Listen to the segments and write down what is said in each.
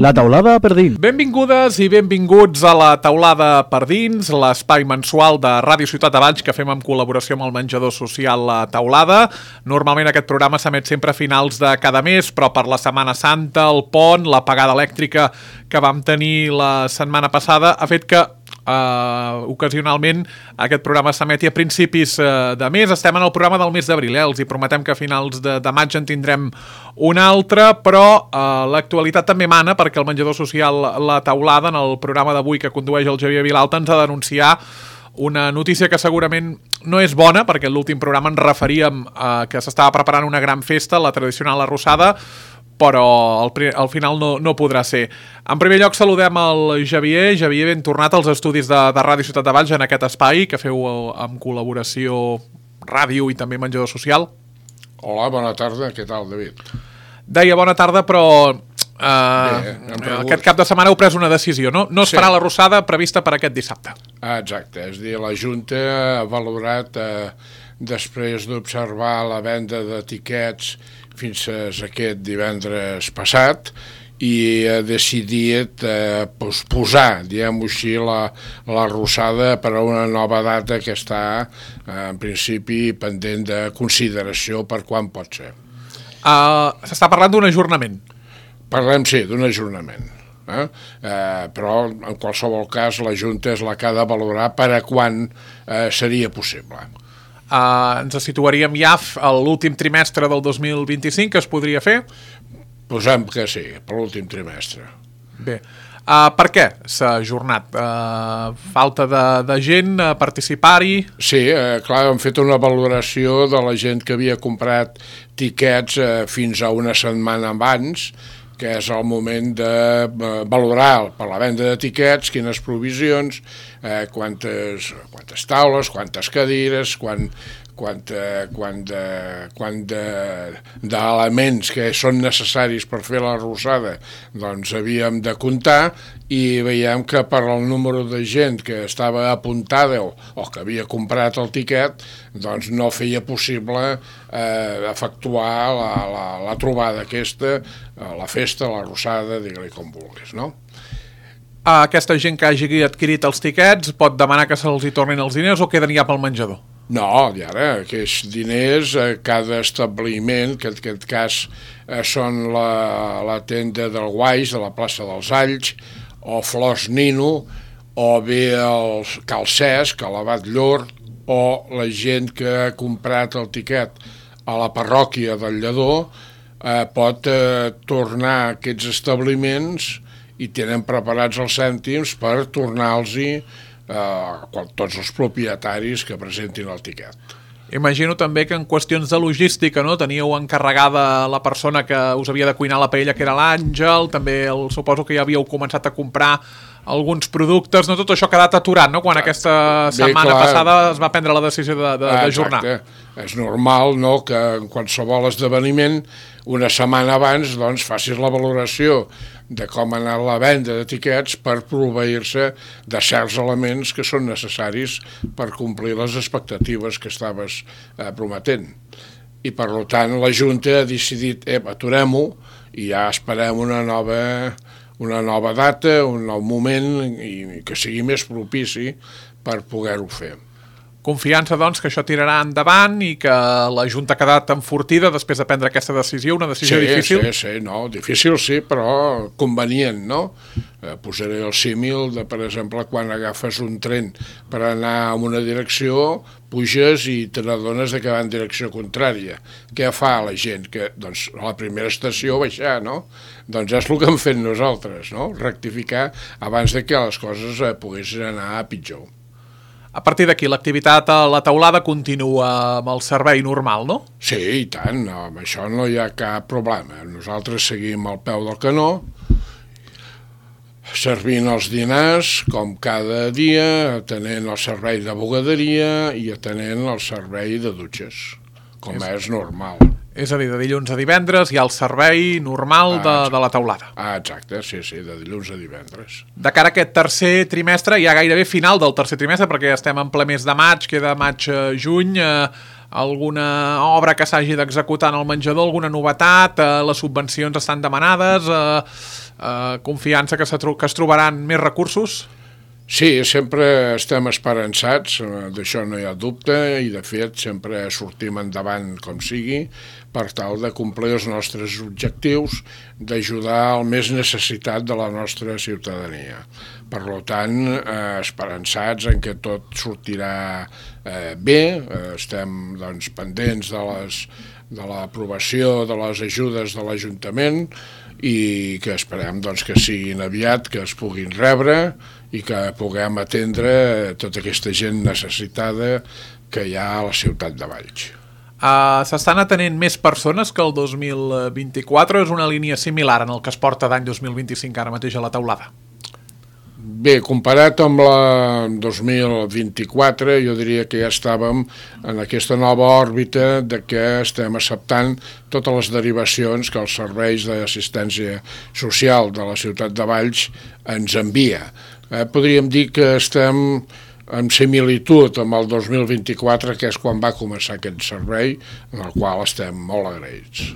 La taulada per dins. Benvingudes i benvinguts a la taulada per dins, l'espai mensual de Ràdio Ciutat de Valls que fem en col·laboració amb el menjador social La Taulada. Normalment aquest programa s'emet sempre a finals de cada mes, però per la Setmana Santa, el pont, l'apagada elèctrica que vam tenir la setmana passada ha fet que ocasionalment aquest programa s'emeti a principis de mes. Estem en el programa del mes d'abril, els hi prometem que a finals de maig en tindrem un altre, però l'actualitat també mana perquè el menjador social La Taulada, en el programa d'avui que condueix el Xavier Vilalta, ens ha d'anunciar una notícia que segurament no és bona, perquè en l'últim programa ens referíem que s'estava preparant una gran festa, la tradicional arrossada, però al final no podrà ser. En primer lloc saludem el Xavier. Xavier, ben tornat als estudis de Ràdio Ciutat de Valls en aquest espai que feu amb col·laboració ràdio i també menjador social. Hola, bona tarda. Què tal, David? Deia bona tarda, però aquest cap de setmana heu pres una decisió, no? No es farà l'arrossada prevista per aquest dissabte. Exacte, és a dir, la Junta ha valorat, després d'observar la venda de tiquets fins a aquest divendres passat, i ha decidit posposar, diguem-ho així, l'arrossada per a una nova data que està, en principi, pendent de consideració per quan pot ser. S'està parlant d'un ajornament. Parlem, sí, d'un ajornament. Però, en qualsevol cas, la Junta és la que ha de valorar per a quan seria possible. Ens situaríem ja a l'últim trimestre del 2025, que es podria fer? Posem que sí, per l'últim trimestre. Bé. Per què s'ha ajornat? Falta de gent a participar-hi? Sí, clar, hem fet una valoració de la gent que havia comprat tiquets fins a una setmana abans, que és el moment de valorar per la venda de tiquets, quines provisions, quantes taules, quantes cadires, quant d'elements que són necessaris per fer l'arrossada, doncs havíem de comptar, i veiem que per al número de gent que estava apuntada o que havia comprat el tiquet, doncs no feia possible efectuar la trobada aquesta, la festa, l'arrossada, digue-li com vulguis, no? Aquesta gent que hagi adquirit els tiquets pot demanar que se'ls hi tornin els diners o queden ja pel menjador? No, i ara, aquests diners, cada establiment, que en aquest cas són la tenda del Guaix, de la plaça dels Alls, o Flors Nino, o bé el Cal Cesc, a l'Abat Llor, o la gent que ha comprat el tiquet a la parròquia del Lledó, pot tornar a aquests establiments i tenen preparats els cèntims per tornar-los-hi tots els propietaris que presentin el tiquet. Imagino també que en qüestions de logística, no? Teníeu encarregada la persona que us havia de cuinar la paella, que era l'Àngel, també suposo que ja havíeu començat a comprar alguns productes, no? Tot això ha quedat aturat, no? Quan aquesta setmana passada es va prendre la decisió d'ajornar. Exacte. És normal, no?, que en qualsevol esdeveniment, una setmana abans, doncs, facis la valoració de com ha anat la venda de tiquets per proveir-se de certs elements que són necessaris per complir les expectatives que estaves prometent. I, per tant, la Junta ha decidit, aturem-ho i ja esperem una nova data, un nou moment i que sigui més propici per poder-ho fer. Confiança, doncs, que això tirarà endavant i que la Junta ha quedat enfortida després de prendre aquesta decisió, una decisió difícil? Sí, no, difícil sí, però convenient, no? Posaré el símil de, per exemple, quan agafes un tren per anar en una direcció, puges i te n'adones que va en direcció contrària. Què fa la gent? Que, doncs, a la primera estació baixar, no? Doncs és el que hem fet nosaltres, no? Rectificar abans de que les coses poguessin anar a pitjor. A partir d'aquí, l'activitat a La Taulada continua amb el servei normal, no? Sí, i tant, amb això no hi ha cap problema. Nosaltres seguim al peu del canó, servint els dinars, com cada dia, atenent el servei de bugaderia i atenent el servei de dutxes, com és normal. És a dir, de dilluns a divendres hi ha el servei normal de La Taulada. Exacte, sí, de dilluns a divendres. De cara a aquest tercer trimestre, ja gairebé final del tercer trimestre, perquè estem en ple mes de maig, queda maig-juny, alguna obra que s'hagi d'executar en el menjador, alguna novetat, les subvencions estan demanades, confiança que es trobaran més recursos? Sí, sempre estem esperançats, d'això no hi ha dubte, i de fet sempre sortim endavant com sigui per tal de complir els nostres objectius d'ajudar al més necessitat de la nostra ciutadania. Per tant, esperançats en que tot sortirà bé, estem doncs, pendents de l'aprovació de les ajudes de l'Ajuntament i que esperem doncs, que siguin aviat, que es puguin rebre i que puguem atendre tota aquesta gent necessitada que hi ha a la ciutat de Valls. S'estan atenent més persones que el 2024 o és una línia similar en el que es porta d'any 2025 ara mateix a la taulada? Bé, comparat amb la 2024, jo diria que ja estàvem en aquesta nova òrbita de que estem acceptant totes les derivacions que els serveis d'assistència social de la ciutat de Valls ens envia. Podríem dir que estem en similitud amb el 2024, que és quan va començar aquest servei, en el qual estem molt agraïts.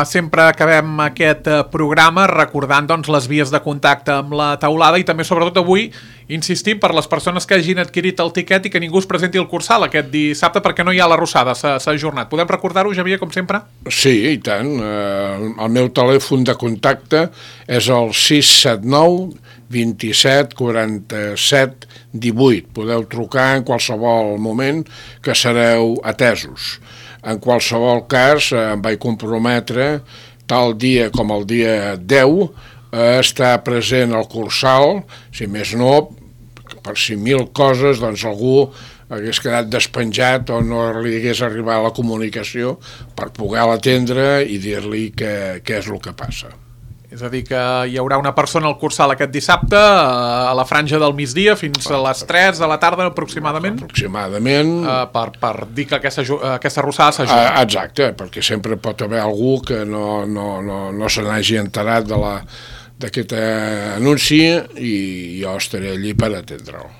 Sempre acabem aquest programa recordant doncs, les vies de contacte amb la taulada i també sobretot avui insistim per les persones que hagin adquirit el tiquet i que ningú es presenti al Cursal aquest dissabte perquè no hi ha l'arrossada, s'ha ajornat. Podem recordar-ho, Xavier, com sempre? Sí, i tant. El meu telèfon de contacte és el 679 27 47 18. Podeu trucar en qualsevol moment que sereu atesos. En qualsevol cas, em vaig comprometre, tal dia com el dia 10, a estar present al Cursal, si més no, per si mil coses, doncs algú hagués quedat despenjat o no li hagués arribat la comunicació per poder l'atendre i dir-li què és el que passa. És a dir, que hi haurà una persona al Cursal aquest dissabte a la franja del migdia fins a les 3 de la tarda aproximadament? Aproximadament. Per dir que aquesta arrossada s'ajuda. Exacte, perquè sempre pot haver algú que no se n'hagi enterat d'aquest anunci i jo estaré allí per atendre'l.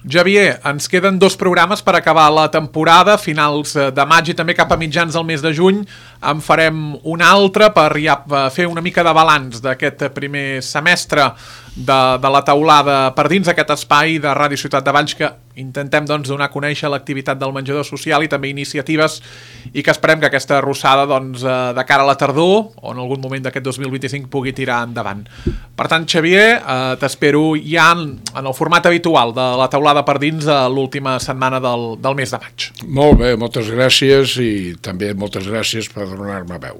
Xavier, ens queden 2 programes per acabar la temporada, finals de maig i també cap a mitjans del mes de juny. En farem un altre per ja fer una mica de balanç d'aquest primer semestre de la taulada per dins aquest espai de Ràdio Ciutat de Valls que intentem doncs, donar a conèixer l'activitat del menjador social i també iniciatives i que esperem que aquesta arrossada doncs, de cara a la tardor o en algun moment d'aquest 2025 pugui tirar endavant. Per tant, Xavier, t'espero ja en el format habitual de la taulada per dins l'última setmana del mes de maig. Molt bé, moltes gràcies i també moltes gràcies per donar-me veu.